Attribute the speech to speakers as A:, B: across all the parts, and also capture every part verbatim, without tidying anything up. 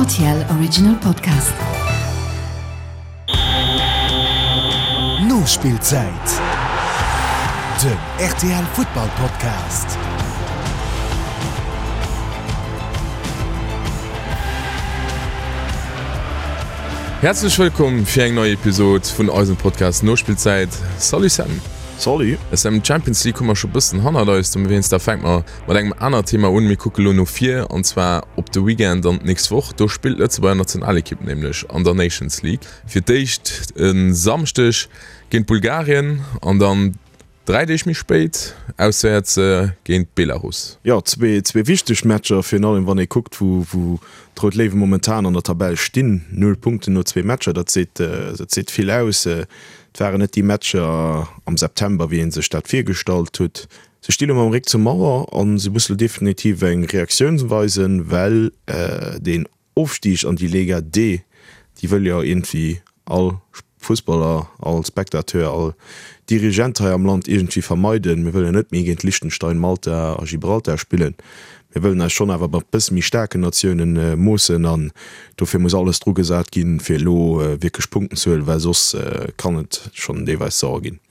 A: R T L Original Podcast.
B: Nospillzäit, den R T L Futtball Podcast.
C: Häerzlech wëllkomm fir eng nei Episod vun eisem Podcast Nospillzäit. Salut Sam.
D: Salut.
C: Sam, d'Champions League hu mer scho bëssen hannert eis, dowéinst da fänke mer mat engem anert Thema un. Mir kucke lo no vir, an zwar op de Weekend an d'nächst Woch. Do spillt d'Lëtzebuerger Nationalekipp nämlech an der Nations League. Fir d'éischt e Samschdeg géint Bulgarien an dann dräi Deeg méi spéit auswäerts géint Belarus.
D: Jo, zwee zwee wichteg Matcher, virun allem wann ee kuckt, wou wou d'Rout Léiwe momentan an der Tabell stinn. Null Punkten no zwee Matcher, dat seet dat seet vill aus. Et waren net déi Matcher am September, wéi ee sech dat virgestallt hutt. Se sti lo mam Réck zur Mauer a se musse lo definitiv eng Reaktioun weisen, well deen Ofstig an déi Lega D, déi wëll jo iergendwéi all Fussballer, all Spectateur, all Dirigent hei am Land iergendwéi vermeiden. Mir wëllen net méi géint Liechtenstein, Malta a Gibraltar spillen. Mir wëllen eis schonn awer mat bësse méi staarken Natiounen moossen an dofir muss alles dru gesat ginn, fir elo wierklech Punkten ze huelen, well soss kann et schonn deelweis sauer ginn.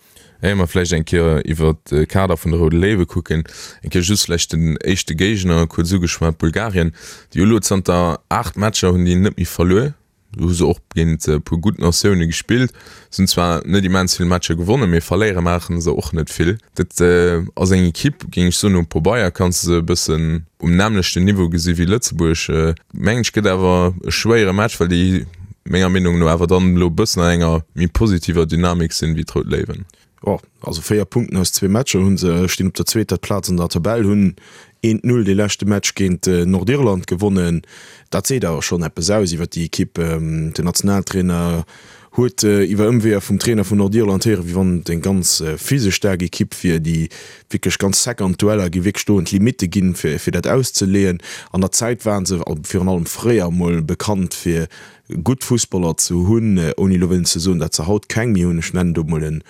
C: Éier mer vläicht eng Kéier iwwert de Kader vun de Roude Léiwe kucken, eng Kéier just vläicht den éischte Géigner kuerz ugeschwat, Bulgarien, déi hu elo zanter aacht Matcher hunn déi net méi verluer. Do hu se och géint e puer gutt Natioune gespillt. Se hunn zwar net immens vill Matcher gewonnen, mee verléiere maache se och net vill. Dat ass eng Ekipp, géing ech soen, um Pobeier kanns de se e bëssen um nämmlechten Niveau gesi wéi Lëtzebuerg. Mengen ech gëtt awer e schwéiere Match, well déi menger Meenung no awer dann elo e bëssen an enger méi positiver Dynamik sinn wéi d'Rout Léiwen.
D: Jo, also véier Punkten aus zwee Matcher hu se, stinn op der zweeter Plaz an der Tabell, hunn eent Null dee leschte Match géint Nordirland gewonnen. Dat seet awer schonn eppes aus iwwer déi Ekipp. Den Nationaltrainer huet iwwer Ëmweeër vum Trainer vun Nordirland héieren, wéi wann et eng ganz physesch staark Ekipp wier, déi wierklech ganz sec an d'Dueller gi, wierklech do un d'Limitte ginn, fir fir dat auszeleeën. An der Zäit ware se, virun allem fréier emol, bekannt fir gutt Fussballer ze hunn, ouni elo wëllen ze soen, datt se haut keng méi hunn. Ech nennen do emol en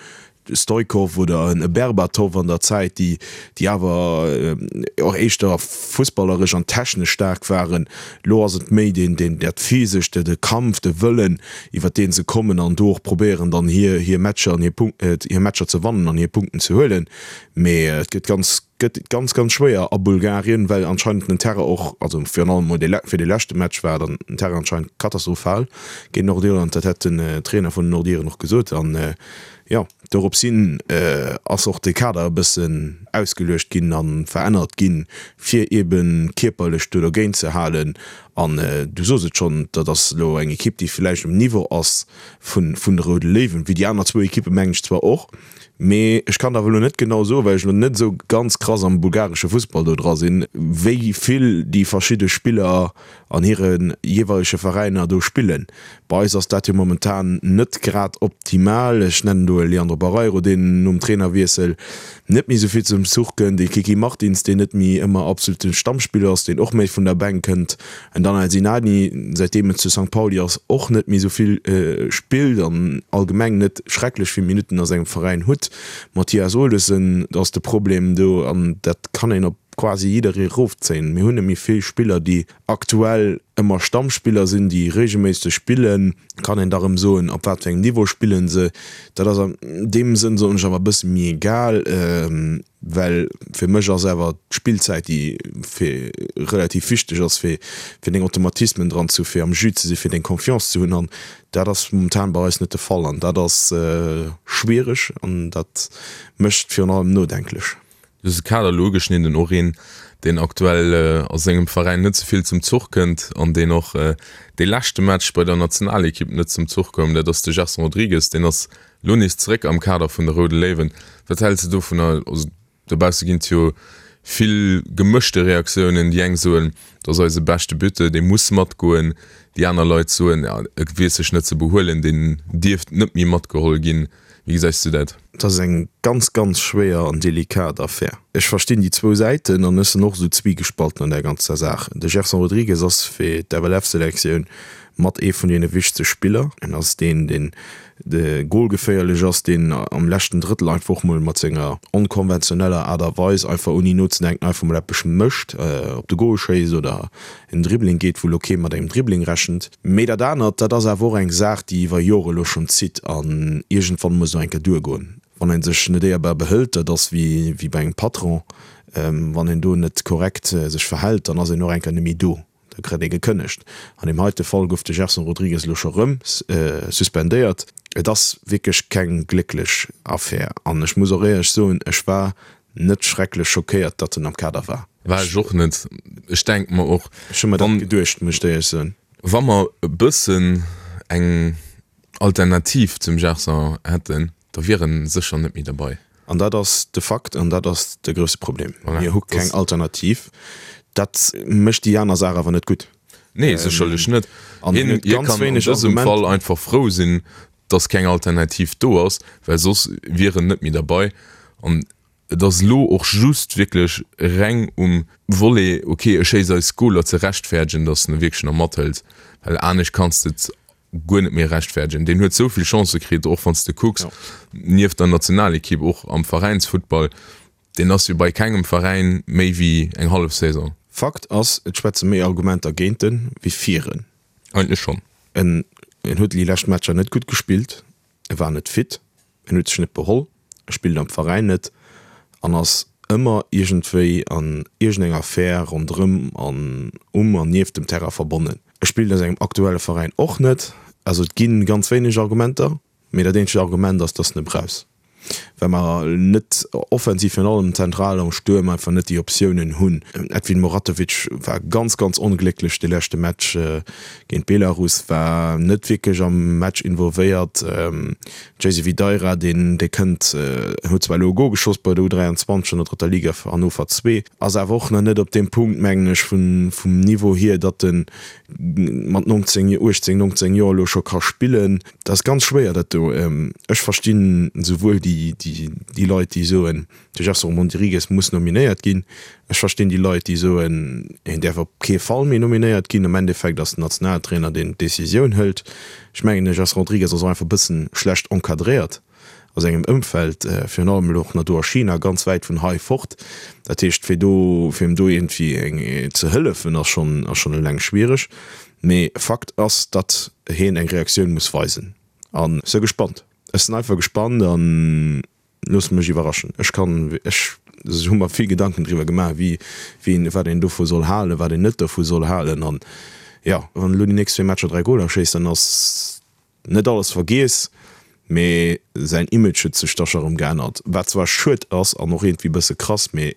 D: Stoikov oder en Berbatov an der Zäit, déi déi awer och éischter fussballeresch an technesch staark waren. Elo ass et méi deen deen dat Physescht, de Kampf, de Wëllen, iwwer dee se kommen an do och probéieren dann hir hir Matcher an hir Punk hir Matcher ze wannen an hir Punkten ze huelen. Mee et gëtt ganz gëtt ganz ganz schwéier a Bulgarien, well anscheinend den Terrain och, also virun allem mol dee fir dee leschte Match war dann den Terrain anscheinend katastrophal géint Nordirland, dat hätt den Trainer vun den Nordiren och gesot an jo dorops hin ass och de Kader e bëssen ausgeluecht ginn a verännert ginn, fir eebe kierperlech do dergéint ze halen. An du sos et schonn, dat ass elo eng Ekipp, déi villäicht um Niveau ass vun de Roude Léiwen, wéi déi aner zwou Ekippe mengen ech zwar och, mee ech kann der awer elo net genau soen, well ech elo net esou ganz krass am bulgaresche Fussball do dra sinn, wéi vill déi verschidde Spiller an hire jeeweilege Veräiner do spillen. Bei eis ass dat jo momentan net grad optimal. Ech nennen do e Leandro Barreiro, deen nom Trainerwiessel net méi esou vill zum Zuch kënnt, e Kiki Martins, deen net méi ëmmer absolute Stammspiller ass, deen och méi vun der Bänk kënnt, en Danel Sinani, säitdeem en zu Sankt Pauli ass, och net méi esou vill spillt an allgemeng net schrecklech vill Minutten a sengem Veräin hutt. Mathias Olesen ass de Problem do an dat kann een op quasi jidderee erofzéien. Mir hunn net méi vill Spiller, déi aktuell ëmmer Stammspiller sinn, déi reegelméisseg spillen. Kann een da rëm soen, op wat fir engem Niveau spillen se. Dat ass an deem Sënn, soen ech, awer e bësse méi egal, well fir mech ass awer d'Spillzäit, déi fir relativ wichteg ass, fir fir deng Automatismen dran ze hu, fir am Jus ze sinn, fir deng Confiance ze hunn. An dat ass momentan bei eis net de Fall an dat ass schwiereg an dat mécht virun allem nodenklech.
C: Du hues de Kader elo ugeschnidden, och een, deen aktuell a sengem Veräin net sou vill zum Zuch kënnt an deen och dee leschte Match bei der Nationalekipp net zum Zuch koum, dat ass de Gerson Rodrigues. Deen ass elo nees zeréck am Kader vun de Roude Léiwen. Wat häls de dovunner? Also dobausse ginn et jo vill gemëschte Reaktiounen. Déi eng soen, dat ass eise beschte Buteur, dee muss matgoen. Déi aner Leit soen, e weess sech net ze behuelen, deen dierft net méi matgeholl ginn. Wéi gesäis du dat?
D: Et ass eng ganz, ganz schwéier an delikat Affär. Ech verstinn déi zwou Säiten an ech sinn och esou zwiegespalten an där ganzer Saach. De Gerson Rodrigues ass fir d'F L F-Selektioun mat ee vun deene wichtegste Spiller. En ass deen, deen de golgeféierlech ass, deen am leschten Drëttel einfach och mol mat senger onkonventioneller Aart a Weis einfach ouni nozedenken einfach mol eppes mécht, op de Gol schéisst oder en Dribbling geet, wou lo kee mat engem Dribbling rechent. Mee dat anert, dat ass awer och eng Saach, déi iwwer Jore lo schonn zitt an iergendwann muss et och eng Kéier duergoen. Wann ee sech net éierbar behëlt, dat ass wéi bei engem Patron, wann een do net korrekt sech verhält, dann ass een och eng Kéier net méi do. Da kritt ee gekënnegt. An deem heite Fall gouf de Gerson Rodrigues elo scho rëm suspendéiert. Et ass wierklech keng glécklech Affär an ech muss och éierlech soen, ech war net schrecklech schockéiert, datt en am Kader war.
C: War ech och net. Ech denke mer och,
D: Ech hu mer dat geduecht, muss ech éierlech soen.
C: Wa mer e bëssen eng Alternativ zum Gerson hätten, da wier en sécher net méi derbei.
D: An dat ass de Fakt an dat ass de grousse Problem. Mir hu keng Alternativ. Dat mécht déi aner Saach awer net gutt.
C: Nee, sécherlech net. Hien kann an dësem Fall einfach frou sinn, datt keng Alternativ do ass, well soss wier en net méi derbei. An et ass elo och just wierklech reng um Volet, okay, e schéisst eis Goler, ze rechtfäerdegen, datt en e wierklech nach mathëlt, well anescht kanns de et guer net méi rechtfäerdegen. Deen huet esou vill Chancë kritt, och wann s de kucks, nieft der Nationalekipp och am Veräinsfuttball, deen ass jo bei kengem Veräin méi wéi eng hallef Saison.
D: Fakt ass, et schwätze méi Argumenter géint en wéi fir en.
C: Eigentlech schonn.
D: En huet déi lescht Matcher net gutt gespillt, e war net fit, en huet sech net beholl, e spillt am Veräin net an ass ëmmer iergendwéi an iergendeng Affär ronderëm an um an nieft dem Terrain verbonnen. E spillt a sengem aktuelle Veräin och net. Also et gi ganz wéineg Argumenter, mee dat eenzegt Argument ass, dass en e brauchs, well mer net offensiv, virun allem zentral am Stuerm, einfach net déi Optiounen hunn. Edvin Muratovic war ganz, ganz onglécklech de leschte Match géint Belarus, war net wierklech am Match involvéiert. Jaycee Videira, deen, dee kënnt, huet zwar elo e Gol geschoss bei der U dräianzwanzeg an der drëtter Liga fir Hannover zwee, ass awer och nach net op deem Punkt, mengen ech, vun, vum Niveau hier, datt en mat nonzéng, uechtzéng, nonzéng Joer elo scho ka spillen. Dat ass ganz schwéier, dat do. Ech verstinn esouwuel déi, déi, déi Leit, déi soen, de Gerson Rodrigues muss nominéiert ginn. Ech verstinn déi Leit, déi soen, hien däerf op kee Fall méi nominéiert ginn. Am Endeffekt ass den Nationaltrainer, deen d'Decisioun hëlt. Ech mengen, de Gerson Rodrigues ass och einfach e bëssen schlecht encadréiert a sengem Ëmfeld, virun allem elo och nach do a China, ganz wäit vun hei fort. Dat heescht, fir do, fir him do iergendwéi eng ze hëllefen, ass schonn, ass schonn eleng schwiereg. Mee Fakt ass, datt hien eng Reaktioun muss weisen. An ech si gespannt. Ech sinn einfach gespannt an loosse mech iwwerraschen. Ech kann, ech hu mer vill Gedanken driwwer gemaach, wéi, wéi een, wat een dovu soll halen, wat een net dovu soll halen. An jo, wann elo déi nächst zwee Matcher dräi Goler schéisst, dann ass net alles vergiess, mee säin Image huet sech da scho rëm geännert. Wat zwar schued ass an och iergendwéi e bësse krass, mee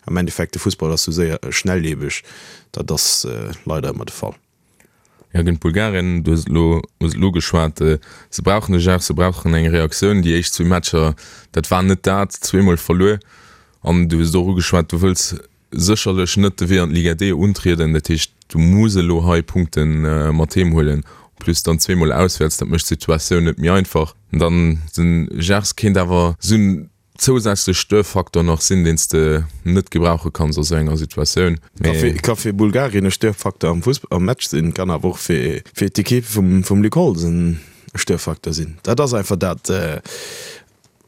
D: am Endeffekt, de Fussball ass sou séier, schnelllebeg, dat ass leider ëmmer de Fall.
C: Jo, géint Bulgarien, du hues et elo, hues et elo ugeschwat, se brauchen e Geste, se brauchen eng Reaktioun. Déi éischt zwee Matcher, dat war net dat, zweemol verluer. An du hues et och ugeschwat, du wëlls sécherlech net de Wee an d'Liga D untrieden. Dat heescht, du muss elo hei Punkte mat heem huelen, en plus dann zweemol auswäerts, dat mécht d'Situatioun net méi einfach. Dann den Geste kéint awer esou en zousätzlech Störfaktor nach sinn, deen s de net gebrauche kanns a sou enger Situatioun.
D: Mee. Ka fir Bulgarien e Störfaktor am Fussball, am Match sinn, kann awer och fir fir d'Ekipp vum vum Luc Holtz en Störfaktor sinn. Dat ass einfach dat.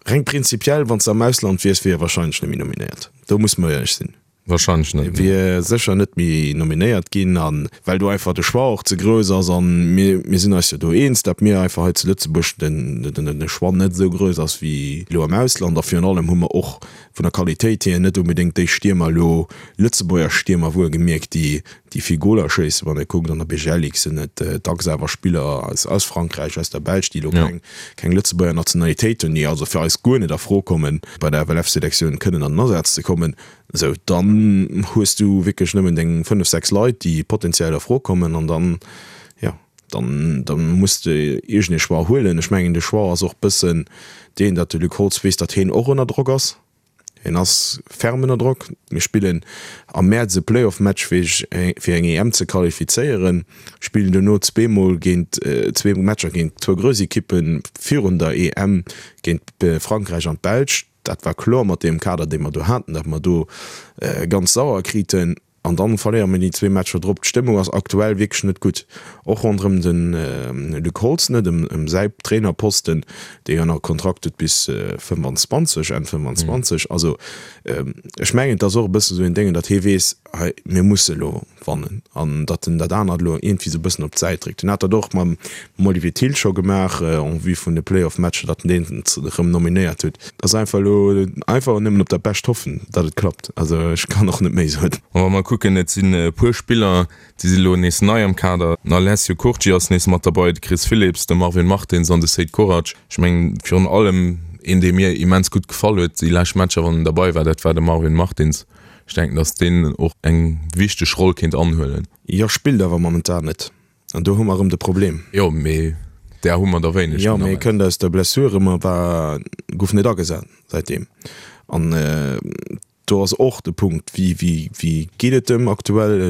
D: Reng prinzipiell, wann s de am Ausland wiers, wier e warscheinlech net méi nominéiert. Do musse mer éierlech sinn.
C: Wahrscheinlech net, nee.
D: Wier sécher net méi nominéiert ginn, a well do einfach de Choix och ze grouss ass. A mir, mir sinn eis jo do eens, datt mir einfach hei zu Lëtzebuerg den, den, de Choix net esou grouss ass wéi elo am Ausland. A virun allem hu mer och vun der Qualitéit hier net onbedéngt déi Stiermer elo, Lëtzebuerger Stiermer wuelgemierkt, déi, déi vill Goler schéissen. Wann ee kuckt, an der B G L Ligue sinn et dacks awer Spiller aus, aus Frankräich, aus der Belsch, déi elo keng, keng Lëtzebuerger Nationalitéit hunn, déi also fir eis guer net a Fro kommen, bei der F L F-Selektioun kënnen an den Asaz ze kommen. Esou, dann hues du wierklech nëmmen deng fënnef, sechs Leit, déi potenziell a Fro kommen an dann, jo, dann, dann muss de iergend ee Choix huelen. Ech mengen, de Choix ass och bëssen deen, datt de Luc Holtz weess, datt hien och ënner Drock ass. Hien ass ferm ënner Drock. Mir spillen am Mäerz e Playoff-Match fir fir eng E M ze qualifizéieren, spillen dono zweemol géint, zwee Matcher géint zwou grouss Ekippe virun der E M, géint Frankräich an d'Belsch. Dat war kloer mat deem Kader, dee mer do haten, datt mer do ganz sauer kriten. An dann verléiere mir déi zwee Matcher drop. D'Stëmmung ass aktuell wierklech net gutt, och ronderëm de Luc Holtz net, ëm säi Trainerposten, dee jo nach e Kontrakt huet bis fëmmanzwanzeg, Enn fëmmanzwanzeg. Also ech mengen, et ass och e bësse sou een Déngen, datt hie weess, hei mir musse elo wannen an datt en dat anert elo iergendwéi sou e bëssen op d'Säit dréckt. En hat dat och mam Olivier Thill scho gemaach en vue vun de Playoff-Matcher, datt en deen erëm nominéiert huet. Et ass einfach elo einfach nëmmen op dat Bescht hoffen, datt et klappt. Also ech kann och net méi soen.
C: An wa mer kucken, et sinn e puer Spiller, déi si elo nees nei am Kader. Den Alessio Curci ass nees mat derbei, de Chris Philipps, de Marvin Martins an de Seid Korac. Ech mengen virun allem een, dee mir immens gutt gefall huet déi lescht Matcher, wann en derbei war, dat war de Marvin Martins. Ech denken, datt deen och eng wichteg Roll kéint anhuelen.
D: Jo, spillt awer momentan net. An do hu mer erëm de Problem.
C: Jo, mee där hu mer der wéineg.
D: Jo, mee e kënnt aus der Blessure erëm a war, gouf net agesat säitdeem. An do ass och de Punkt, wéi, wéi, wéi geet et em aktuell?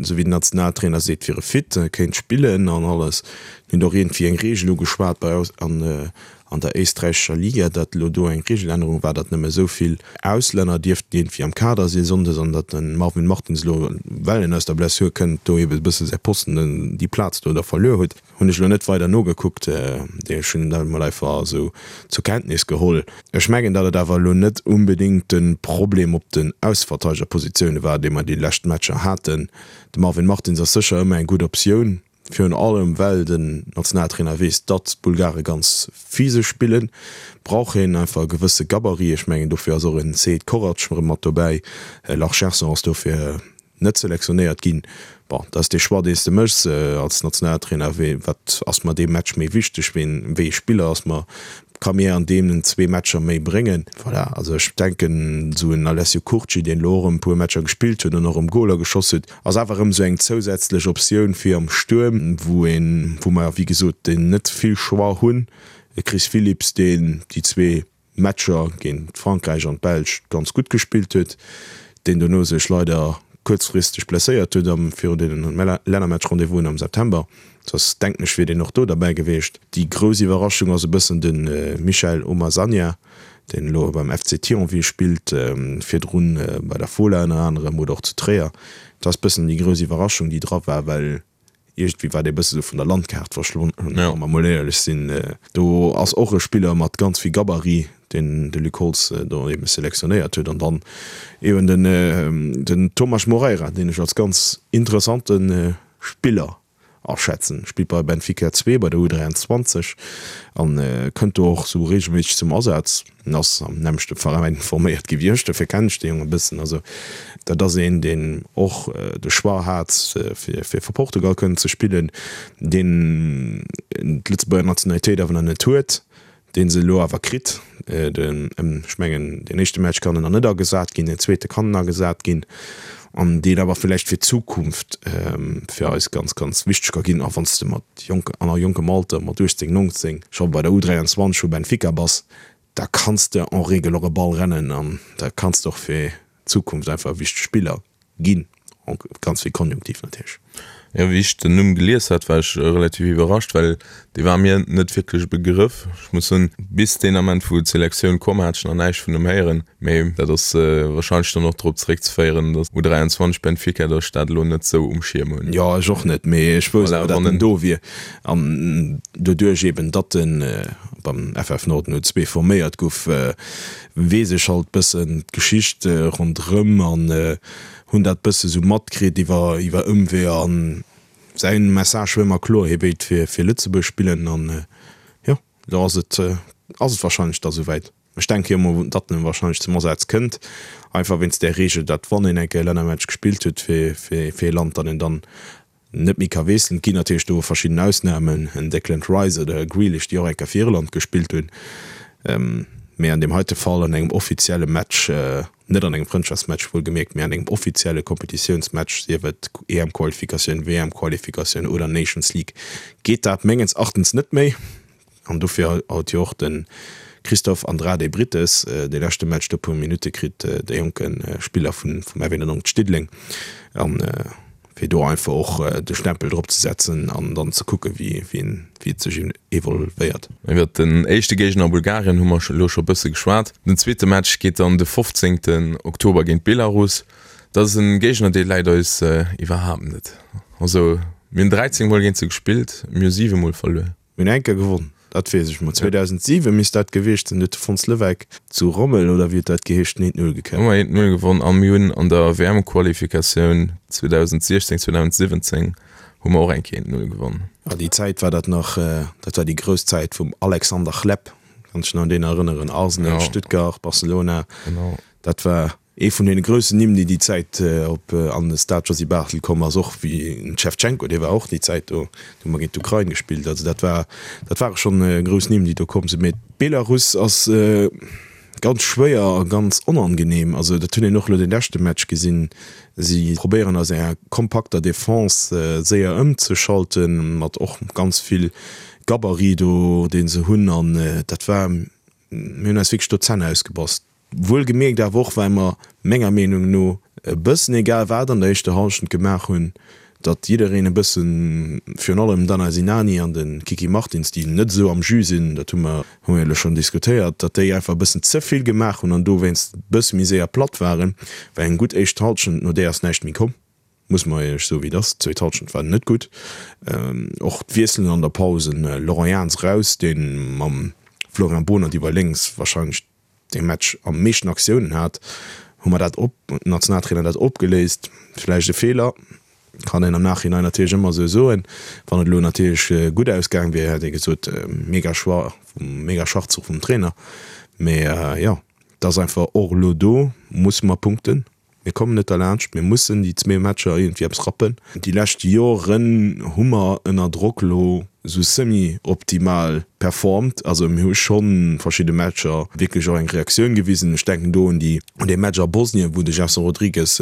D: Esou wéi den Nationaltrainer seet, wier e fit, kéint spillen an alles. Mir hunn och iergendwéi eng Reegel ugeschwat bei an an der éisträichescher Liga, datt elo do eng Reegelännerung war, datt nëmme esou vill Auslänner dierften iergendwéi am Kader si sonndes an datt de Marvin Martins elo, well en aus der Blessur kënnt, do ebe e bësse säi Posten, déi Plaz do da verluer huet. Hunn ech elo net weider nogekuckt, ech hunn dat emol einfach esou zur Kenntnis geholl. Ech mengen, datt et awer elo net unbedéngt de Problem op den Ausverteidegerpositioune war, dee mer déi lescht Matcher haten. De Marvin Martins ass sécher ëmmer eng gutt Optioun. Virun allem well den Nationaltrainer weess, datt d'Bulgare ganz physesch spillen, brauch een einfach e gewësse Gabarit. Ech mengen, dofir ass och en Sead Korac erëm mat dobäi. Lars Gerson ass dofir net selektionéiert ginn. Bon, dat ass dee Choix, deen s de méchs als Nationaltrainer, wee, wat ass mer dee Match méi wichteg, ween, wéi ee Spiller ass mer, ka mir an deenen zwee Matcher méi bréngen. Voilà, also ech denken, esou en Alessio Curci, deen elo och erëm e puer Matcher gespillt huet an och erëm Goler geschoss huet, ass awer erëm esou eng zousätzlech Optioun fir am Stuerm, wou een, wou mer wéi gesot net vill Choix hunn. E Chris Philipps, deen déi zwee Matcher géint Frankräich an d'Belsch ganz gutt gespillt huet, deen dono sech leider kuerzfristeg blesséiert huet am virun deenen Lännermatch-Rendez-vousen am September. Soss denken ech wier deen och do derbäi gewiescht. Déi grouss Iwwerraschung ass e bëssen de Michael Omasanya, deen elo beim F C Thionville spillt, virdrun bei der Fola ënner anerem oder och zu Tréier. Dat ass bëssen déi grouss Iwwerraschung déi dra war, well iergendwéi war dee bësse sou vun der Landkaart verschwonnen, wa mer mol éierlech sinn. Do ass och e Spiller mat ganz vill Gabarit, deen de Luc Holtz do ebe selektionéiert huet. An dann eben den Tomas Moreira, deen ech als ganz interessante Spiller aschätzen. Spillt bei Benfica zwee bei der U dräianzwanzeg an kënnt do och sou reegelméisseg zum Asaz. En ass am nämmlechte Veräin forméiert gi wéi ech, dofir kennen ech dee Jong e bëssen. Also dat ass een, deen och de Choix hat, fir fir Portugal kënnen ze spillen, deen d'Lëtzebuerger Nationalitéit awer nach net huet, dee se elo awer kritt. Den, ech mengen, deen éischte Match kann en nach net agesat ginn, deen zweete kann en agesat ginn, an deen awer villäicht fir d'Zukunft fir eis ganz, ganz wichteg ka ginn. A wann s de mat jonk, an a jonkem Alter, mat uechtzéng, nonzéng, scho bei der U dräianzwanzeg vu Benfica bass, da kanns de en règle och e Ball rennen an da kanns de och fir d'Zukunft einfach e wichtege Spiller ginn. Ganz vill Konjunktiv natierlech.
C: Jo, wéi ech den Numm gelies hat, war ech relativ iwwerrascht, well dee war mir net wierklech e Begrëff. Ech muss soen, bis deen Ament, wou d'Selektioun komm, hat ech nach näischt vun em héieren. Mee dat ass warscheinlech dann och drop zeréckzeféieren, datt U dräianzwanzeg Benfica, datt ech dat elo net sou um Schierm hunn.
D: Jo, ech och net, mee ech wousst awer, datt en do wier. An doduerch eben, datt en beim F F Norden U zwee forméiert gouf, weess ech halt bëssen d'Geschicht ronderëm an hunn dat bësse sou matkritt iwwer iwwer Ëmweeër an säin Message war ëmmer kloer, hie wéilt fir fir Lëtzebuerg spillen an jo, elo ass et ass et wahrscheinlech da souwäit. Ech denke jo mol, datt en wahrscheinlech zum Asaz kënnt, einfach wéinst där Reegel, datt wann een eng Kéier e Lännermatch gespillt huet fir fir fir ee Land, datt een dann net méi ka wiesselen. Et ginn natierlech do verschidden Ausnamen, en Declan Rice oder e Grealish, déi och eng Kéier fir Irland gespillt hunn, mee an deem heite Fall an engem offizielle Match, net an engem Frëndschaftsmatch wuelgemierkt, mee an engem offizielle Kompetitiounsmatch, sief et E M-Qualifikatioun, W M-Qualifikatioun oder Nations League, geet dat mengens Erachtens net méi. An dofir huet jo och de Christophe Andrade Brittes dee leschte Match do e puer Minutte kritt, de jonke Spiller vum F eenundneunzeg Diddeleng. An fir do einfach och de Stempel drop ze setzen an dann ze kucke wéi et sech evolvéiert.
C: Iwwert den éischte Géigner Bulgarien hu mer elo scho bësse geschwat. Den zweete Match geet dann de fofzéngten Oktober géint Belarus. Dat ass e Géigner, dee läit eis iwwerhaapt net. Also mir hunn dräizéng Mol géint se gespillt, mir hu siwe Mol verluer.
D: Mir hunn eng Kéier gewonn, dat weess ech. Ma zweedausentsiwe misst dat gewiescht sinn, huet de Fons Leweck zu Rommel, oder wéi huet dat geheescht, eent Null
C: gekäppt. Hu mer eent Null gewonn a mir hunn an der W M-Qualifikatioun zweedausentsiechzéng, zweedausentsiwwenzéng hu mer och eng Kéier eent Null gewonn.
D: Ah, déi Zäit war dat nach, dat war déi grouss Zäit vum Alexander Hleb, kann ech nach un deen erënneren, Arsenal, Stuttgart, Barcelona.
C: Genau.
D: Dat war ee vun deene groussen Nimm, déi déi Zäit op an de Stade Josy Barthel komm ass, och wéi den Schewtschenko, dee war och déi Zäit do, do hu mer géint d'Ukrain gespillt. Also dat war, dat ware schonn grouss Nimm, déi do komm sinn. Mee Belarus ass ganz schwéier a ganz onangenehm. Also dat hunn een och elo dee leschte Match gesinn. Si probéieren aus enger kompakter Defense séier ëmzeschalten, mat och ganz vill Gabarit do, dee se hunn. An dat war, mir hunn eis wierklech do d'Zänn ausgebass. Wuelgemierkt awer och, well mer menger Meenung no e bëssen egal wat an der éischter Hallschent gemaach hunn, datt jiddereen e bëssen, virun allem d'Anna Sinani an de Kiki Martins, déi net esou am Jus sinn, dat hu mer hu mer jo elo schonn diskutéiert, datt déi einfach e bëssen ze vill gemaach hunn an dowéinst e bësse méi séier platt waren. Well eng gutt éischt Hallschent, no där ass näischt méi komm, muss mer éierlech soen, wéi et ass. D'zweet Hallschent war net gutt. Och d'Wiesselen an der Paus, en Laurent Jans eraus, dee mam Florian Bohnert iwwer lénks warscheinlech dee Match am meeschten Aktiounen hat, hu mer dat op, huet den Nationaltrainer dat opgeléist. Vläicht e Feeler, kann een am Nachhinein natierlech ëmmer esou soen. Wann et elo natierlech gutt ausgaang wier, hätt ee gesot, mega Choix, mega Schachzuch vum Trainer. Mee jo, et ass einfach och elo do musse mer punkten. Mir kommen net derlaanscht, mir mussen déi zwee Matcher iergendwéi eppes rappen. Déi lescht Joren hu mer ënner Drock elo esou semi-optimal performt. Also mir hu scho verschidde Matcher wierklech och eng Reaktioun gewisen. Ech denken do un déi, un dee Match a Bosnien, wou de Gerson Rodrigues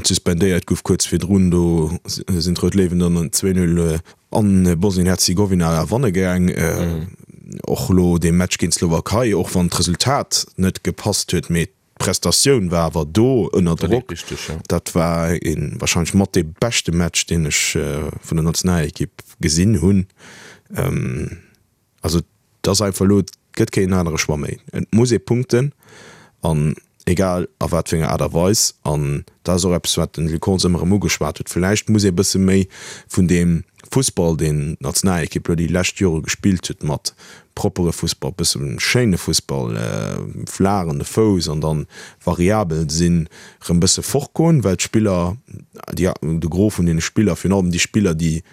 D: suspendéiert gouf kuerz virdrun. Do sinn d'Rout Léiwen dann zwee Null a Bosnien-Herzegowina ewanne gaang. Och elo dee Match géint d'Slowakei, och wann d'Resultat net gepasst huet, mee D'Prestatioun war awer do ënner Drock. Dat war ee warscheinlech mat dee beschte Match, deen ech vun der Nationalekipp gesinn hunn. Also et ass einfach elo, et gëtt keen anere Choix méi. Et muss ee punkten an egal a wat fir enger Aart a Weis. An dat ass och eppes, wat den Luc Holtz ëmmer erëm ugeschwat huet, Vläicht muss ee bësse méi vun deem Fussball, deen d'Nationalekipp elo déi lescht Jore gespillt huet, mat proppere Fussball, bësse schéine Fussball, flaach an de Fouss an dann variabel sinn, rëm bësse fortgoen, well d'Spiller, déi, de Gros vun deene Spiller, virun allem déi Spiller, déi,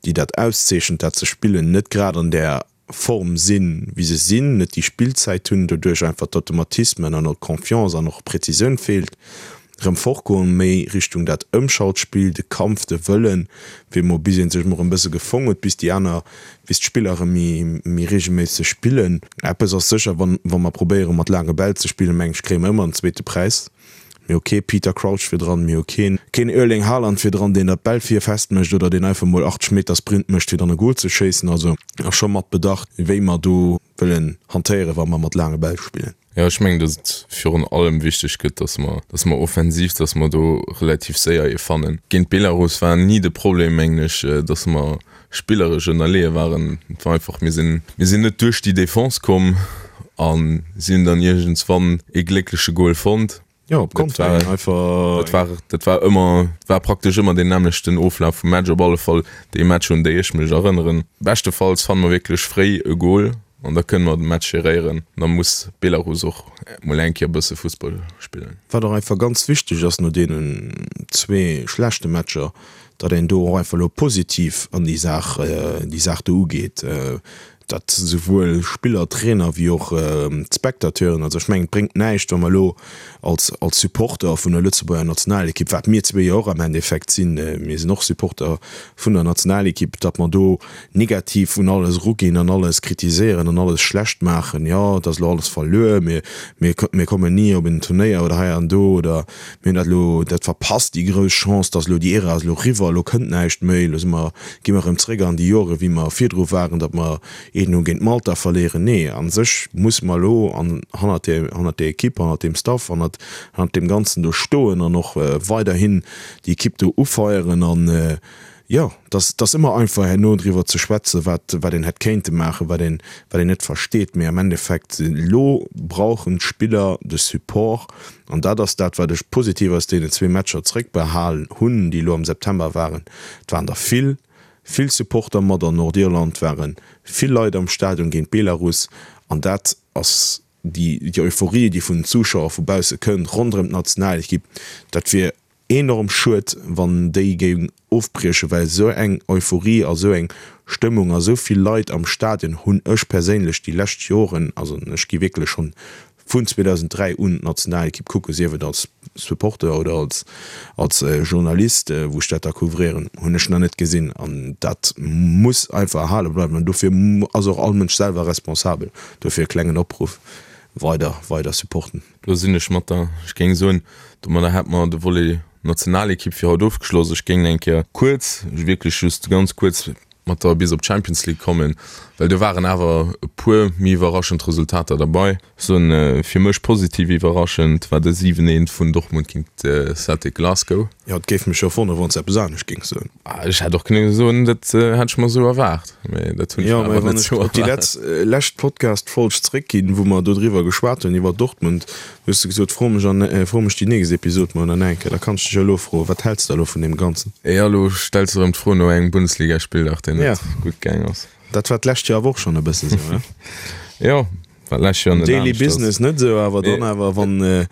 D: déi dat auszeechent, dat ze spillen, net grad an där Form sinn, wéi se sinn, net déi Spillzäit hunn, doduerch einfach d'Automatismen an och d'Confiance an och d'Präzisioun feelt, rëm fortgoen, méi Richtung dat Ëmschaltspill, de Kampf, de Wëllen, fir emol bis ee sech emol erëm bësse gefong huet, bis déi aner, bis d'Spiller erëm méi, méi reegelméisseg spillen. Eppes ass sécher, wann, wa mer probéiere mat laange Bäll ze spillen, meng ech, kréie mer ëmmer en zweete Präis. Mir hu kee Peter Crouch virdran, mir hu keen keen Erling Haaland virdran, deen der d'Bäll vir festmécht oder deen einfach mol achtzeg Meter Sprint mécht, fir dann e Gol ze schéissen. Also ass scho mat Bedacht, wéi mer do wëllen hantéieren, wa mer mat laange Bäll spillen.
C: Jo, ech mengen, datt et virun allem wichteg gëtt, datt mer, datt mer offensiv, datt mer do relativ séier ee fannen. Géint Belarus war ni de Problem, mengen ech, datt mer spilleresch ënnerleeë waren. Et war einfach, mir sinn, mir sinn net duerch déi Defense komm a si hunn dann iergendswann ee gléckleche Gol fonnt.
D: Jo, op Konter einfach.
C: Dat war, dat war ëmmer, war praktesch ëmmer deen nämmlechten Oflaf vum Match, op alle Fall déi Matcher, un déi ech mech erënneren. Beschtefalls fanne mer wierklech fréi e Gol an da kënne mer de Match geréieren. Da muss Belarus och mol eng Kéier e bësse Fussball spillen.
D: Wat och einfach ganz wichteg ass no deenen zwee schlechte Matcher, datt een do och einfach elo positiv an déi Saach, déi Saach do ugeet. Dat souwuel Spiller, Trainer wéi och d'Spectateuren. Also ech mengen, et bréngt näischt, wa mer elo als als Supporter vun der Lëtzebuerger Nationalekipp, wat mir zwee jo och am Endeffekt sinn, mir sinn och Supporter vun der Nationalekipp, datt mer do negativ un alles eruginn an alles kritiséieren an alles schlecht maachen, jo et ass elo alles verluer, mir mir mir kommen ni op en Turnéier oder hei an do oder mir hunn dat elo dat verpasst, déi grouss Chance, datt elo déi Ära ass elo eriwwer, elo kënnt näischt méi, elo si mer gi mer erëm zréck an déi Jore wéi mer virdru waren, datt mer een no géint Malta verléieren. Nee, a sech musse mer elo an hannert där, hannert där Ekipp, hannert deem Staff, hannert, hannert deem Ganzen do stoen an och weiderhin déi Ekipp do ufeieren an, Jo, et ass ëmmer einfach herno driwwer ze schwätzen, wat wat een hätt kéinte maachen, wat een wat een net versteet, mee am Endeffekt elo brauchen d'Spiller de Support an dat ass dat, wat ech positiv aus deenen zwee Matcher zréckbehal hunn, déi elo am September waren. Et waren der vill, vill Supporter mat an Nordirland, ware vill Leit am Stadion géint Belarus an dat ass déi déi Euphorie, déi vun den Zuschauer vu bausse kënnt ronderëm d'Nationalekipp, dat wier Enorm schued wann déi géing ofbriechen, well esou eng Euphorie a sou eng Stëmmung a sou vill Leit am Stadion hunn ech perséinlech déi lescht Joren, also ech gi wierklech schonn vun zweedausenddräi un d'Nationalekipp kucken, sief et als Supporter oder als als Journalist wou ech dat da couvrieren, hunn ech nach net gesinn an dat muss einfach erhale bleiwen an dofir ass och all Mënsch selwer responsabel. Dofir e klengen Opruff, weider weider supporten.
C: Do sinn ech mat der. Ech géing soen, domadder hätt mer de Volet Nationalekipp fir haut ofgeschloss. Ech géing eng Kéier kuerz, wierklech just ganz kuerz mat der bis op d'Champions League kommen, well do waren awer e puer méi iwwerraschend Resultater derbei. Ech soen, fir mech positiv iwwerraschend war de siwen eent vun Dortmund géint Celtic Glasgow.
D: Jo, et géif mech jo wonnere wann s de eppes anescht géings soen.
C: Ech hätt och kënne soen, dat hätt ech mer esou erwaart, mee dat hunn ech
D: Jo,
C: mer
D: mä
C: awer
D: wann
C: net
D: ech
C: esou
D: op déi
C: erwaart.
D: letz, lescht Podcast-Folg zréckginn, wou mer dodriwwer geschwat hunn, iwwer Dortmund, du hues de gesot, fro mech an, fro mech déi nächst Episod mol an eng Kéier. Da kann ech dech elo froen, wat häls de elo vun deem Ganzen?
C: Jo, elo stells de erëm d'Fro no engem Bundesligaspilldag, deen
D: Ja.
C: net gutt gaang ass.
D: Dat war d'lescht Joer awer och schonn e bësse sou, ne?
C: Jo, war d'lescht Joer net
D: Daily
C: anescht ass.
D: Business net esou, awer dann awer wann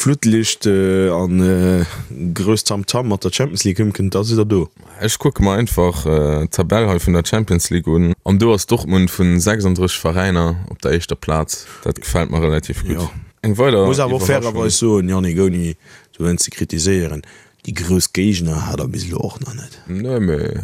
D: Flutlicht an grousst Tamtam mat der Champions League ëmkënnt, da sidd der do.
C: Ech kucke mer einfach d'Tabell hei vun der Champions League un an do ass Dortmund vun sechsunddrësseg Veräiner op der éischter Plaz. Dat gefält mer relativ gutt.
D: Jo.
C: Eng weider
D: Muss awer och
C: Iwwerraschung.
D: fairerweis soen, Yannick, ouni do ze kritiséieren, déi grouss Géigner hat der bis elo och nach net.
C: Nee, mee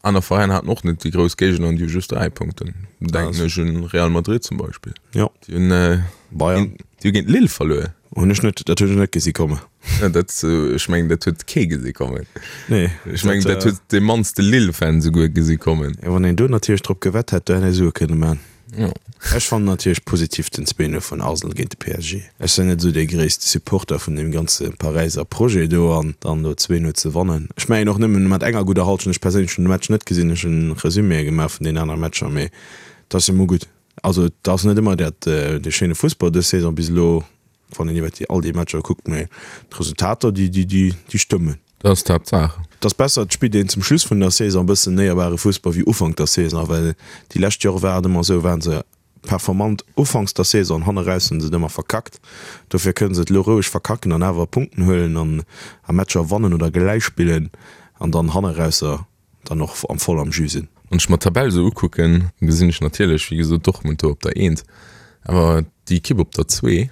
C: aner Veräiner haten och net déi grouss Géigner an déi hu just dräi Punkten. Denken ech un Real Madrid zum Beispill.
D: Jo.
C: Déi hunn äh,
D: Bayern.
C: déi hu géint Lille verluer.
D: Hunn ech net, dat hunn ech net gesi kommen.
C: Ja, dat, ech mengen, dat huet kee gesi kommen.
D: Nee.
C: Ech mengen, dat huet dee mannste Lille-Fan souguer gesi kommen.
D: Ja, wann een do natierlech drop gewett hätt, do hätt ee Sue kënne man.
C: Jo.
D: Ech fannen natierlech positiv den zwee Null vun Arsenal géint de P S G. Ech sinn net esou dee gréisste Supporter vun deem ganze Paräiser Projet do an dann do zwee Null ze wannen. Ech mengen och nëmmen mat enger gudder Halschent. Ech perséinlech hunn de Match net gesinn, ech hunn Resüméë gemaach vun deenen anere Matcher, mee et ass jo mol gutt. Also et ass net ëmmer dat dee schéine Fussball dës Saison bis elo, wann een iwwer déi all déi Matcher kuckt, mee d'Resultater déi déi déi stëmmen.
C: Dat ass d'Haaptsaach.
D: Et ass besser, et spillt een zum Schluss vun der Saison e bëssen éierbare Fussball wéi Ufank der Saison, well déi lescht Jore war et ëmmer esou, waren se performant ufanks der Saison, hanne raus hunn se et ëmmer verkackt. Dofir kënne se et elo roueg verkacken an awer Punkten huelen an a Matcher wannen oder gläich spillen an dann hanne rausser dann och am voll am Jus sinn.
C: Wann ech mer d'Tabell esou ukucken, gesinn ech natierlech, wéi gesot, Dortmund do op der Eent, awer déi Ekipp op der Zwee,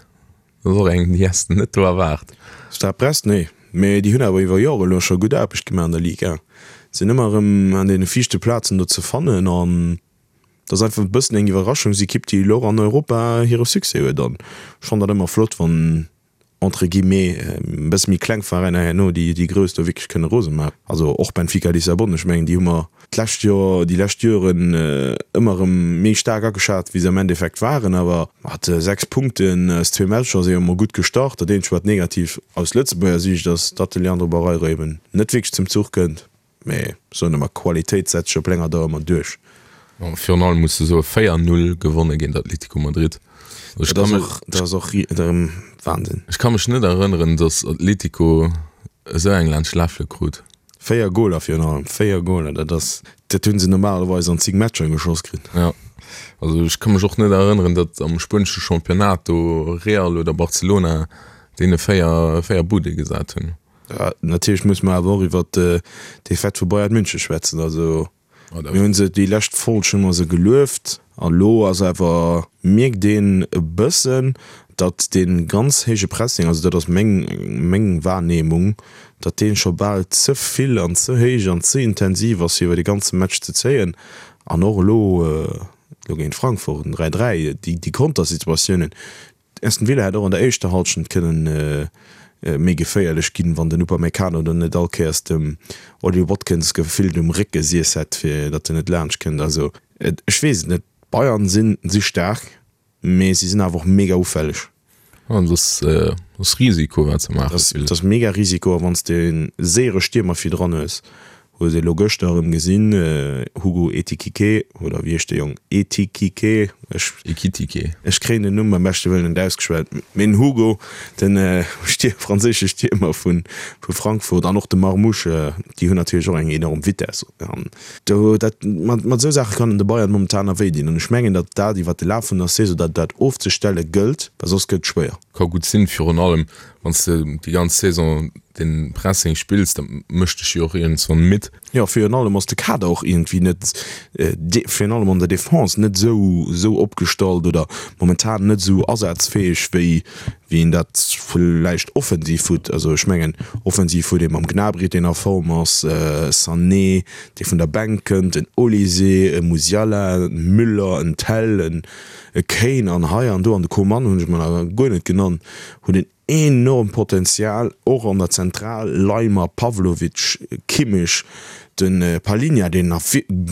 C: dat ass och eng, déi häss de net do erwaart.
D: Stade Brest, nee, mee déi hunn awer iwwer Jore elo scho gutt Aarbecht gemaach an der Ligue un. Sinn ëmmer erëm an deene viischte Plazen do ze fannen an et ass einfach e bëssen eng Iwwerraschungsekipp, déi elo och an Europa hire Succès huet an ech fannen dat ëmmer flott, wann entre guillemets, e bësse méi kleng Veräiner herno déi déi grouss do wierklech kënne rose maachen. Also och Benfica Lissabon, ech mengen déi hu mer d'lescht Joer, déi lescht Joren ëmmer erëm méi staark ageschat wéi se am Endeffekt waren. Awer mat sechs Punkten aus zwee Matcher si jo emol gutt gestart. Dat eenzegt wat negativ aus Lëtzebuerger Siicht ass, datt de Leandro Barreiro eben net wierklech zum Zuch kënnt. Mee soen ëmmer, Qualitéit setzt sech op länger Dauer ëmmer duerch.
C: Virun allem muss de soe véier Null gewonne géint Atlético Madrid. Ech
D: Dat
C: kann
D: ass
C: mech,
D: och, dat ass och erëm Wahnsinn.
C: ech ka mech net erënneren, datt Atlético esou eng laanscht d'Läffele krut.
D: Véier Goler virun allem, véier Goler, dat ass, dat hu se normalerweis an zéng Matcher geschoss kritt.
C: Ja, also ech ka mech och net erënneren, datt am spuenesche Championnat do Real oder Barcelona deene véier, véier Bude gesat hunn.
D: Ja, natierlech muss mer awer och iwwer d'Defaite vu Bayern München schwätzen. Also mir hu se déi lescht Folg hu mer se gelueft a lo ass awer, mierkt een e bëssen, datt dee ganz héije Pressing, also dat ass meng meng Wahrnehmung, datt dee scho bal ze vill an ze héich an ze intensiv ass fir iwwer de ganze Match ze zéien. An och elo elo géint Frankfurt, den dräi dräi, déi déi Kontersituatiounen, Aston Villa hätt och an der éischter Hallschent kënnen méi geféierlech ginn, wann den Upamecano dann net all Kéiers dem Ollie Watkins gefillt um Réck gesiess hätt, fir datt en net laanscht kënnt. Also ech weess et net. D'Bayern sinn si staark, mee si sinn awer och mega ufälleg.
C: An dat ass Risiko, wat se maachen.
D: Dat ass mega Risiko a wann s de e séiere Stiermer virdran hues, Hues ee lo gëschter erëm gesinn, Hugo Etikike, oder wéi heescht de Jong, Etikike, ech,
C: Ekitike.
D: ech kréien den Numm beim beschte Wëllen net ausgeschwat, mee den Hugo, den Stier, franséische Stiermer vu Frankfurt, an och de Marmoush, déi hunn natierlech och eng enorm Vitess. An do, dat, mat, mat esou Saache kann en de Bayern momentan nach wéi dinn. An ech mengen, datt dat iwwert de Laf vun der Saison, datt dat ofzestelle gëllt, well soss gëtt et schwéier.
C: Ka gutt sinn, virun allem wann s de déi ganz Saison den Pressing spills, da mécht dech jo och iergendswann midd.
D: Jo, virun allem ass de Kader och iergendwéi net, virun allem an der Defense, net esou esou opgestallt oder momentan net esou asazfäeg, wéi wéi een dat vläicht offensiv hutt. Also ech mengen, offensiv huet ee mam Gnabry, deen a Form ass, Sané, dee vun der Bänk kënnt, en Olise, e Musiala, en Müller, en Tel, en e Kane an hei an do, an de Coman hunn ech mer nach guer net genannt, huet en enormt Potenzial, och an der Zentral, Laimer, Pavlovic, Kimmich, de Palhinha, deen nach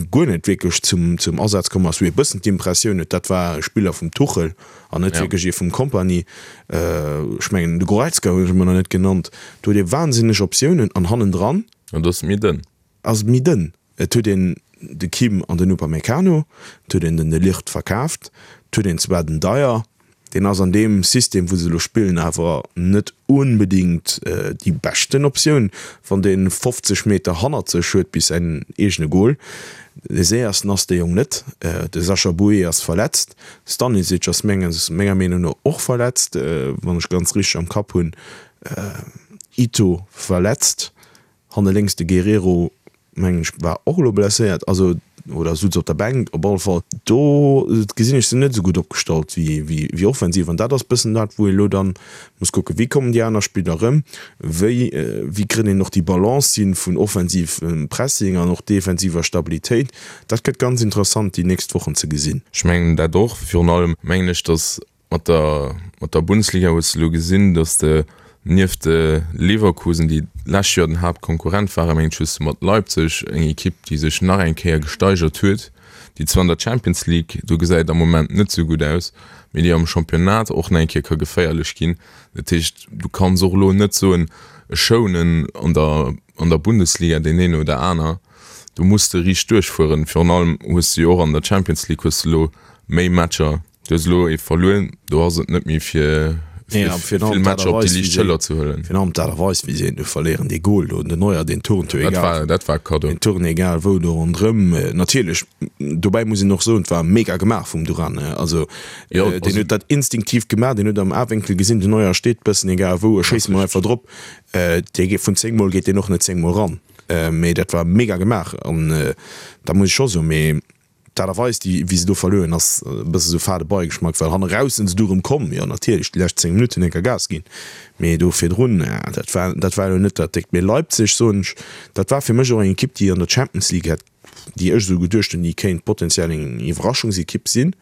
D: guer net wierklech zum zum Asaz komm ass, wou ee bëssen d'Impressioun huet, dat war e Spiller vum Tuchel an net wierklech ee vum Kompany. Ech mengen, de Goretzka hunn ech mer nach net genannt. Do huet ee wahnsinneg Optiounen an hannendran.
C: An do ass et méi dënn.
D: Ass et méi dënn. Et huet een de Kim an den Upamecano, et huet een den De Ligt verkaaft, et huet een zwar den Dier, deen ass an deem System, wou se elo spillen, awer net onbedéngt déi beschten Optioun, wann dee fofzeg Meter hannert sech huet bis säin eegene Gol. Dee séiersten ass dee Jong net. De Sacha Boey ass verletzt, Stanisic ass menger Meenung no och verletzt, wann ech ganz richteg am Kapp hunn, Ito verletzt. Hanne lénks de Guerrero, mengen ech, war och elo blesséiert, also oder sutz op der Bänk. Op alle Fall do gesinn ech se net esou gutt opgestallt wéi wéi offensiv. An dat ass bëssen dat, wou ee elo dann muss kucken, wéi kommen déi aner Spiller erëm, wéi wéi kritt een och déi Balance hin vun offensivem Pressing an och defensiver Stabilitéit. Dat gëtt ganz interessant déi nächst Wochen ze gesinn.
C: Ech mengen dat och. Virun allem mengen ech, datt Mat der mat der Bundesliga hues de elo gesinn, datt de nieft Leverkusen, déi d'lescht Joer den Haaptkonkurrent waren, mengen ech, hues de mat Leipzig eng Ekipp, déi sech nach eng Kéier gesteigert huet, déi zwar an der Champions League, do gesäit et am Moment net esou gutt aus, mee déi am Championnat och nach eng Kéier ka geféierlech ginn. Dat heescht, du kanns och elo net soen, ech schounen an der an der Bundesliga deen een oder aner. Do muss de riicht duerchfueren. Virun allem hues de jo och an der Champions League hues de elo méi Matcher. Du hues elo ee verluer, do ass et net méi fir vill Matcher op déi liicht Schëller ze huelen.
D: Virun allem d'Aart a Weis, wéi se een do verléieren, dee Gol do, den Neuer, deen turnt jo egal.
C: Dat war e Kaddo.
D: Deen turnt egal wou do ronderëm. Natierlech, dobäi muss een och soen, et war mega gemaach vum Duran. Also deen huet dat instinktiv gemaach, deen huet am Awénkel gesinn, den Neuer steet bëssen egal wou, ech schéisse mol einfach drop. Dee geet vun zéng Mol geet deen och net zéng Mol ran. Mee dat war mega gemaach an dat muss ech scho soen. Mee D'Aart a Weis, déi, wéi se do verluer hunn, ass e bësse sou fade Beigeschmack, well hanne raus sinn se du erëm komm. Jo, natierlech, déi lescht zéng Minutten hunn enker Gas ginn, mee do virdrun, dat war, dat war elo net dat Déckt. Mee Leipzig, soen ech, dat war fir mech och eng Ekipp, déi an der Champions League hätt, déi ech esou geduecht hunn, déi kéint potenziell eng Iwwerraschungsekipp sinn.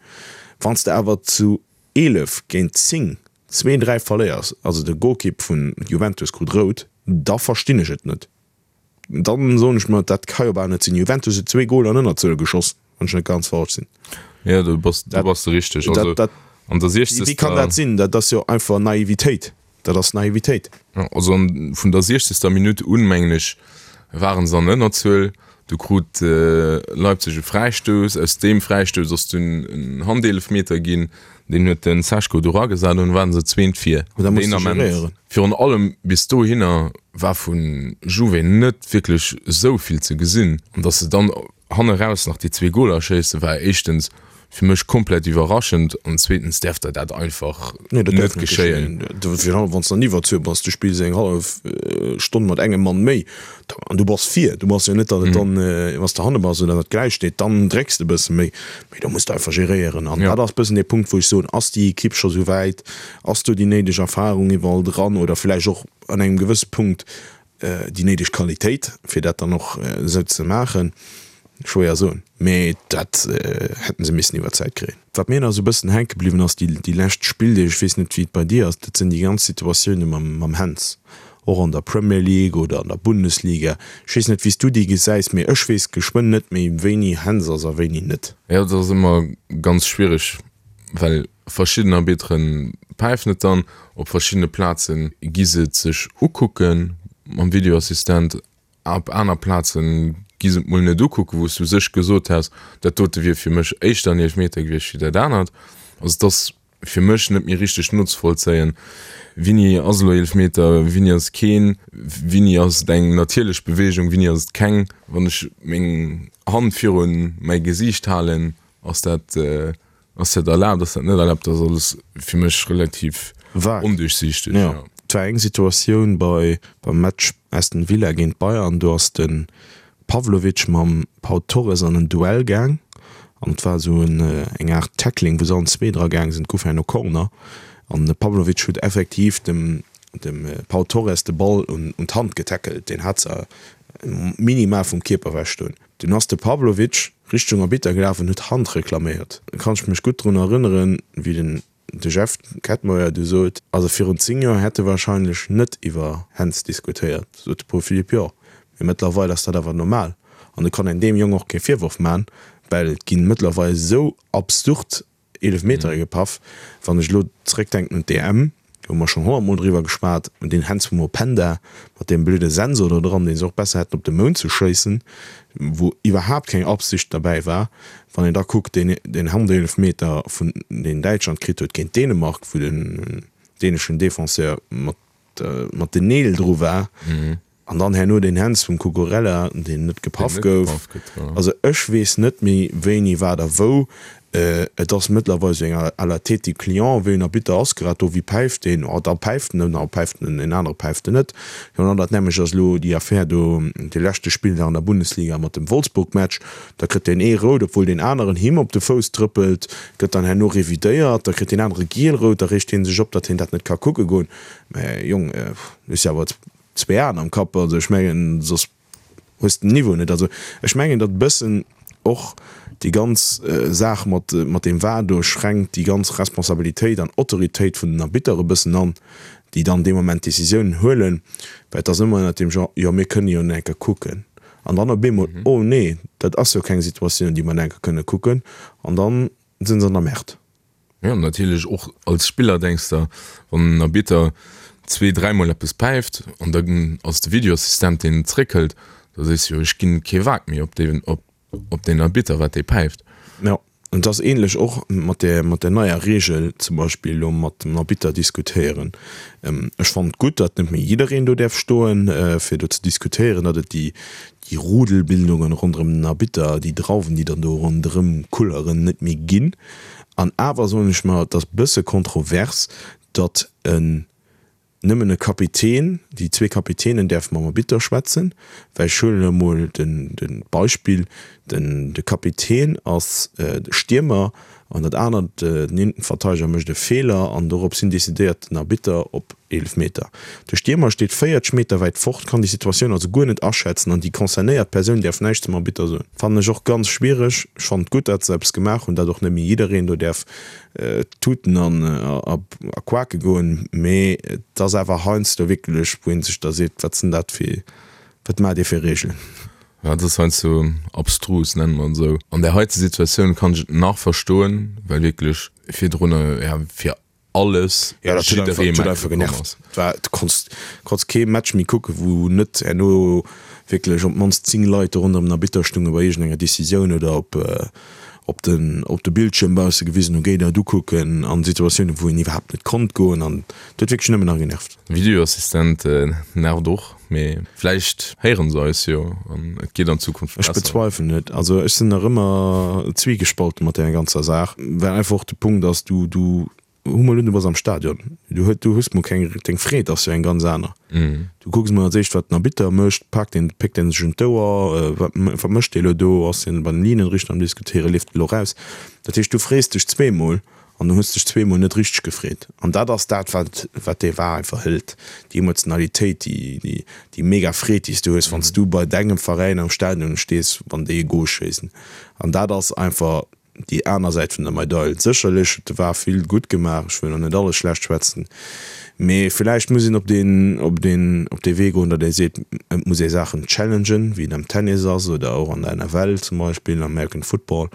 D: Wann s de awer zu eelef géint zéng zwee, dräi verléiers, also de Golkipp vun Juventus krut rout, da verstinn ech et net. Dann soen ech mer, dat ka jo bal net sinn. Juventus huet zwee Goler an Ënnerzuel geschoss, wann ech net ganz falsch sinn.
C: Jo, do bass, do bass de richteg. Also
D: Dat, dat,
C: an der
D: wéi
C: siechzegster.
D: kann dat sinn? Dat ass jo einfach Naivitéit. Dat ass Naivitéit.
C: Jo, also an, vun der siechzegster Minutt un, mengen ech, waren se an Ënnerzuel. Du krut Leipzig e Fräistouss. Aus deem Fräistouss ass dunn en Handeelefmeter ginn. Deen huet de Sesko do eragesat an dunn waren se zweent vir.
D: Da muss
C: Deen
D: de
C: Ament,
D: geréieren.
C: virun allem bis dohinner, war vu Juve net wierklech esou vill ze gesinn. An datt se dann hanne raus nach déi zwee Goler schéissen, war éischtens fir mech komplett iwwerraschend an zweetens däerf der dat einfach
D: Nee, dat
C: net
D: däerf net
C: geschéien.
D: geschéien. Virun allem wann s de an Iwwerzuel bass, du spills eng hallef Stonn mat engem Mann méi an du bass vir. Du bass jo net, datt et dann, wann s de hanne bass oder datt et gläich steet, dann drécks de e bësse méi. Mee do muss de einfach geréieren. An dat ass e bëssen dee Punkt, wou ech soen, ass déi Ekipp scho sou wäit, ass do déi néideg Erfarung iwwerall dran oder vläicht och an engem gewësse Punkt déi néideg Qualitéit, fir dat dann och esou ze maachen? Schwéier soen, mee dat hätten se missen iwwer d'Zäit kréien. Wat mir nach esou e bëssen hänke bliwwen ass déi lescht Spilldeeg, ech weess net wéi et bei dir ass, dat sinn déi ganz Situatioune mam Hens, och an der Premier League oder an der Bundesliga. Ech weess net wéi s du déi gesäis, mee ech weess geschwënn net méi wéini Hens ass a wéini net.
C: Jo, dat ass ëmmer ganz schwiereg, well verschidden Arbitteren päifen et dann, op verschiddene Plaze gi se et sech ukucke mam Videoassistent. Op aner Plazen gi se et mol net ukucken, wou s du sech gesot häss, dat dote wier fir mech éischter en Eelefmeter gewiescht wéi dat anert. Also et ass fir mech net méi richteg nozevollzéien, wéini ass elo Eelefmeter, wéini ass et keen, wéini ass et eng natierlech Beweegung, wéini ass et keng. Wann ech meng Hand virun mäi Gesiicht halen, ass dat ass dat erlaabt, ass dat net erlaabt? Dat ass alles fir mech relativ onduerchsiichteg.
D: Jo, et war eng Situatioun bei beim Match Aston Villa géint Bayern, do ass de Pavlovic mam Pau Torres an en Duell gaang an et war esou en eng Aart Tackling, wou se allen zwee dra gaang sinn. Et gouf herno Corner an de Pavlovic huet effektiv dem dem Pau Torres de Ball un un d'Hand getackelt, deen hat se minimal vum Kierper ewech stoen. Dunn ass de Pavlovic Richtung Arbitter gelaf an huet Hand reklaméiert. Do kann ech mech gutt drun erënneren, wéi den De Jeff Kettenmeyer du sot, also virun zéng Joer hätt e wahrscheinlech net iwwer Händs diskutéiert, sot de Paul Philipp, jo, mee mëttlerweil ass dat awer normal an et kann een deem Jong och kee Virworf man, well et ginn mëttlerweil esou absurd Eelefmetere gepaff. Wann ech elo zréckdenken un d'E M, Do hu mer schonn honnert Mol driwwer geschwat, un deen Hänz vum Openda mat deem blöde Sensor do dran, deen se och besser hätten op de Mound ze schéissen, wou iwwerhaapt keng Absicht derbäi war. Wann een da kuckt, deen deen Handeelfmeter vun deen Däitschland kritt huet géint Dänemark, wou den däneschen Defenseur mat mat den Neel dru war, An dann herno deen Hands vum Cucurella, deen net gepaff gouf. Also ech weess net méi wéini, wat a wou. Et ass mëttlerweil esou eng à la tête du client, wéi en Arbitter ass grad do, wie päift deen? Oh da päift en en, oh päift en en anere päift en net. Jo an dat nämlecht ass elo déi Affär do, dee leschte Spilldag an der Bundesliga mat dem Wolfsburg-Match. Da kritt deen ee rout, obwuel deen aneren him op de Fouss trëppelt, gëtt dann herno revidéiert, da kritt deen anere giel-rout, da reegt hie sech op, datt hien dat net ka kucke goen. Mä Jong, du hues jo awer Zwee Aen am Kapp, also ech mengen, soss hues de den Niveau net. Also ech mengen, datt e bëssen och déi ganz Saach mat mat deem var do schränkt déi ganz Responsabilitéit an Autoritéit vun den Arbitter e bëssen an, déi dann dee Moment d'Décisiounen huelen, well et ass ëmmer ënnert dem Genre, jo mir kënne jo enker kucken an dann op eemol, oh nee, dat ass jo keng Situatioun, déi mer enker kënne kucken an dann sinn se an der Merde.
C: Jo, natierlech och als Spiller denks der, wann en Arbitter zwee, dräimol eppes päift an da ass de Videoassistent deen et zréckhëlt, da sees de jo, ech ginn kee Wak méi op deen, op deen Arbitter wat dee päift.
D: Jo, an et ass ähnlech och mat där, mat där neier Reegel zum Beispill elo mat dem Arbitter diskutéieren. Ech fannen et gutt, datt net méi jiddereen do däerf stoen, fir do ze diskutéieren, datt et déi, déi Rudelbildungen ronderëm den Arbitter, déi Drauwen, déi dann do ronderëm kulleren, net méi ginn. An awer soen ech mer, et ass bësse kontrovers, datt en nëmmen e Kapitän, déi zwee Kapitänen däerfe mam Arbitter schwätzen, well ech huelen elo mol de Beispill, den de Kapitän ass de Stiermer an dat anert, den Innenverteideger mécht e Feeler an dorops hin decidéiert den Arbitter op Eelefmeter. De Stiermer steet véierzeg Meter wäit fort, kann déi Situatioun also guer net aschätzen an déi concernéiert Persoun däerf näischt zum Arbitter soen. Fannen ech och ganz schwiereg. Ech fannen et gutt, dat se eppes gemaach hunn, dat och net méi jiddereen do däerf tuten an a quake goen, mee et ass awer heiansdo wierklech, wou ee sech da seet, wat sinn dat fir, wat maacht Dir fir Reegelen?
C: Ja, dat ass heiansdo abstrus, nenne mer et esou. An där heite Situatioun kann ech et nach verstoen, well wierklech virdrun, ja, fir alles
D: Ja, dat huet einfach,
C: jidderee
D: dat huet einfach
C: matbekomm
D: genervt.
C: ass.
D: Et war, du konns, konns kee Match méi kucken, wou net herno wierklech op d'mannst zéng Leit do ronderëm den Arbitter stunge bei iergendenger Decisioun oder op, op den, op de Bildschierm bausse gewisen hunn, géi dat ukucken, an Situatiounen, wou een iwwerhaapt net konnt goen an dat huet wierklech nëmmen nach genervt.
C: Videoassistent nervt och, mee vläicht héieren se eis jo an et geet an Zukunft
D: Ech
C: besser.
D: bezweifelen et. Also ech sinn nach ëmmer zwiegespalten mat där ganzer Saach, well einfach och de Punkt ass, du, du Hu mol un, du bass am Stadion, du huet, du hues mol keng, deng Freed ass jo eng ganz aner. Du kucks mol als éischt, wat den Arbitter mécht, paakt deen, péckt deen sech un d'Ouer, wat, wat mécht dee lo do, ass deen bei den Linienrichter am Diskutéieren, leeft e lo raus? Dat heescht, du frees dech zweemol an du hues dech zweemol net richteg gefreet. An dat ass dat, wat, wat dee var einfach hëlt, déi Emotionalitéit, déi, déi, déi mega Freed, déi s du hues, wann s du bei dengem Veräin am Stadion stees, wann déi e Gol schéissen. An dat ass einfach déi aner Säit vun der Medail. Sécherlech huet de var vill gutt gemaach, ech wëll och net alles schlecht schwätzen, mee villäicht muss een op deen, op deen, op dee Wee goen, datt ee seet, et muss ee Saachen challengen, wéi et am Tennis ass oder och an der N F L zum Beispill, am American Football,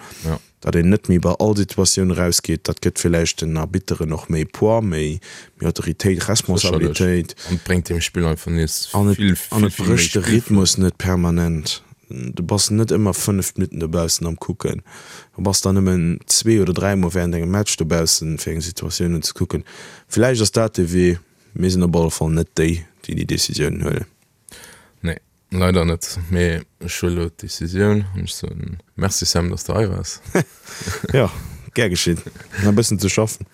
D: datt een net méi bei all Situatioun erausgeet, dat gëtt villäicht den Arbitteren och méi Poids, méi méi Autoritéit, Responsabilitéit.
C: An et bréngt dem Spill einfach nees
D: An et
C: vill,
D: an
C: vill,
D: et
C: vill méi
D: brécht de
C: Spill.
D: Rhythmus net permanent. Du bass net ëmmer fënnef Minutten dobaussen am Kucken. Du bass dann nëmmen zwee oder dräimol während engem Match dobaussen, fir eng Situatioun unzekucken. Villäicht ass dat de Wee. Mir sinn op alle Fall net déi, déi déi Decisiounen huelen.
C: Nee, leider net. Mee ech huele lo d'Decisioun an ech soen Merci Sam, dass de hei waars.
D: Jo, gär geschitt. Nach e bëssen ze schaffen.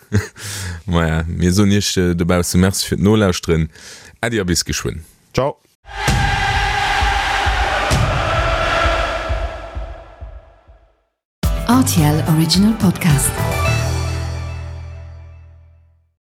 C: Maja, mir soen iech dobausse Merci fir d'Nolauschteren. Äddi a bis geschwënn.
D: Ciao.
A: R T L Original Podcast.